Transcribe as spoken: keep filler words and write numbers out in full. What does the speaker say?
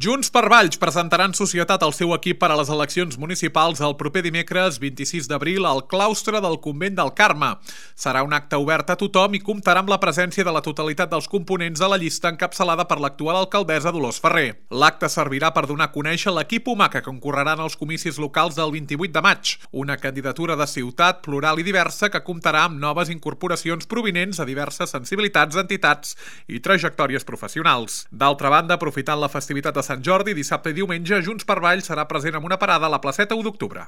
Junts per Valls presentarà en societat el seu equip per a les eleccions municipals el proper dimecres vint-i-sis d'abril al claustre del Convent del Carme. Serà un acte obert a tothom i comptarà amb la presència de la totalitat dels components de la llista encapçalada per l'actual alcaldessa Dolors Ferrer. L'acte servirà per donar a conèixer l'equip humà que concorrerà en els comicis locals del vint-i-vuit de maig, una candidatura de ciutat plural i diversa que comptarà amb noves incorporacions provinents de diverses sensibilitats, entitats i trajectòries professionals. D'altra banda, aprofitant la festivitat de Sant Jordi, dissabte i diumenge, Junts per Valls serà present amb una parada a la placeta u d'octubre.